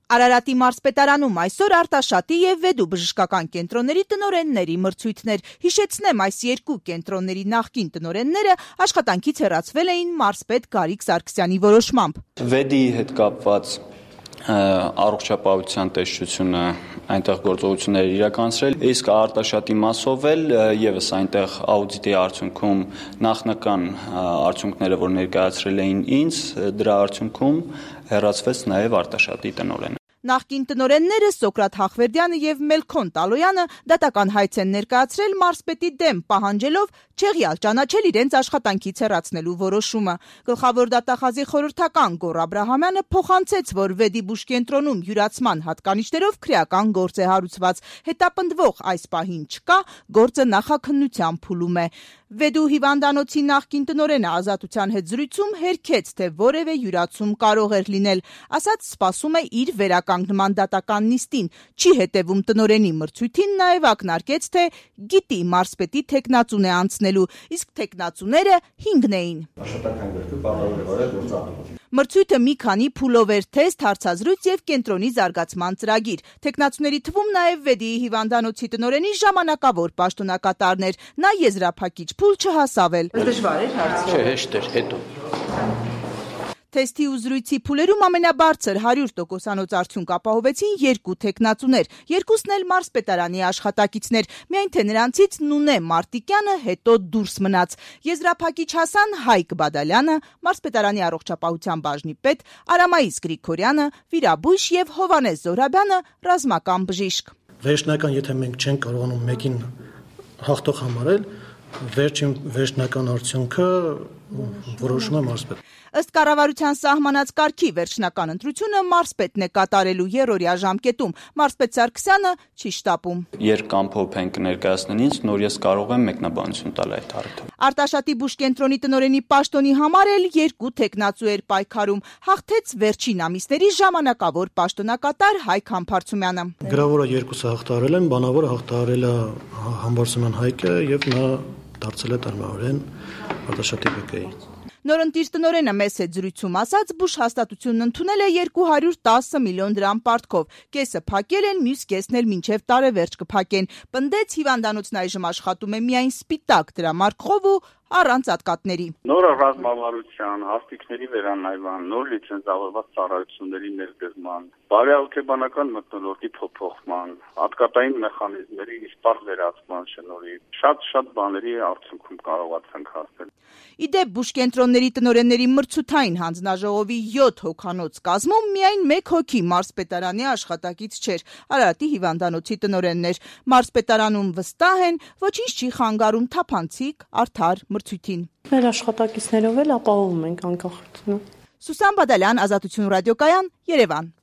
Արարատի մարզպետարանում այսօր Արտաշատի եւ Վեդու բժշկական կենտրոնների տնօրենների մրցույթներ։ Հիշեցնեմ, այս երկու կենտրոնների նախկին տնօրենները աշխատանքից հեռացվել էին մարզպետ Գարիկ Սարգսյանի որոշմամբ։ Վեդի հետ կապված առողջապահության տեսչությունը այնտեղ գործողություններ իրականացրել, իսկ Արտաշատի մասով էլ եւս այնտեղ աուդիտի արդյունքում նախնական արդյունքները, որ ներկայացրել էին ինձ, դրա արդյունքում հեռացվեց նաեւ Արտաշատի տնօրենը։ Նախկին տնօրենները Սոկրատ Հախվերդյանը եւ Մելքոն Տալոյանը դատական հայց են ներկայացրել մարզպետի դեմ, պահանջելով չեղյալ ճանաչել իրենց աշխատանքից հեռացնելու որոշումը։ Գլխավոր դատախազի խորհրդական Գոռ Աբրահամյանը փոխանցեց, որ Վեդի բուժկենտրոնում յուրացման հատկանիշներով քրեական գործ է հարուցված։ Հետապնդվող այս պահին չկա, գործը նախաքննության փուլում է։ Վեդու հիվանդանոցի նախկին տնօրենը Ազատության հետ զրույցում հերքեց, թե որևէ յուրացում կարող էր լինել, ասաց սպասում է իր վերականգնման դատական նիստին, չի հետևում տնօրենի մրցույթին, նաև ակնարկեց, թե գիտի մարզպետի թեկնածուն է անցնելու, իսկ թեկնածուները 5 էին։ Մրցույթը մի քանի փուլով էր՝ թեստ, հարցազրույց եւ կենտրոնի զարգացման ծրագիր։ Թեկնածուների թվում նաև Վեդիի հիվանդանոցի տնօրենի ժամանակավոր պաշտոնակատարն էր։ Նա եզրափակիչ փուլ չհասավ էլ։ Դժվար էր հարցը։ Չէ, հեշտ էր, հետո։ Թեստի ու զրույցի փուլերում ամենաբարձր 100%-անոց արդյունք ապահովեցին երկու թեկնածուներ, երկուսն էլ մարզպետարանի աշխատակիցներ, միայն թե նրանցից Նունե Մարտիկյանը հետո դուրս մնաց։ Եզրափակիչ հասան Հայկ Բադալյանը, մարզպետարանի առողջապահության բաժնի պետ, Արամայիս Գրիգորյանը, վիրաբույժ եւ Հովանես Զոհրաբյանը, ռազմական բժիշկ։ Վերջնական, եթե մենք չենք կարողանում մեկին հաղթող համարել, վերջնական արդյունքը որոշում է մարզպետը։ Ըստ կառավարության սահմանած կարգի վերջնական ընտրությունը մարզպետն է կատարելու երրորդյա ժամկետում։ Մարզպետ Սարգսյանը չի շտապում։ Երկամփոփ ենք ներկայացնեն ինձ, նոր ես կարող եմ մեկնաբանություն տալ այդ առիթով։ Արտաշատի բուժկենտրոնի տնօրենի պաշտոնի համար էլ երկու թեկնածու էր պայքարում։ Հաղթեց վերջին ամիսների ժամանակավոր պաշտոնակատար Հայկ Համբարձումյանը։ Գրավորը երկուսը հաղթահարել են, բանավորը հաղթահարել է Համբարձումյան Հայկը եւ նա դարձել է տնօրեն Արտաշատի ԲԿ-ի։ Նորընտիր տնօրենը մեծ հետ զրույցում ասաց, բուժ հաստատությունն ընդունել է 210 միլիոն դրամ պարտքով։ Կեսը փակել են, մյուս կեսն էլ մինչև տարեվերջ կփակեն։ Պնդեց, հիվանդանոցն այժմ աշխատում է միայն սպիտակ դրամարկղով ու առանց ատկատների։ Նոր ռազմավարության, հաստիկների վերանայման, նոր լիցենզավորված ծառայությունների ներդրման, բարեհոգեբանական մթնոլորտի փոփոխման, ատկատային մեխանիզմների իսպառ վերացման շնորհիվ շատ բաների արդյունքում կարողացանք հասնել։ Իդեպ բուժկենտրոնների տնօրենների մրցութային հանձնաժողովի 7 հոգանոց կազմում միայն 1 հոգի մարզպետարանի աշխատակից չէր, Արարատի հիվանդանոցի տնօրենն էր։ Մարզպետարանում վստահ են, ոչինչ չի խանգարում թափանցիկ, արդար մրցույթին։ Մեր աշխատակիցներով էլ ապահովում ենք անկախությունը։ Սուսան Բադալյան, Ազատություն ռադիոկայան, Երևան։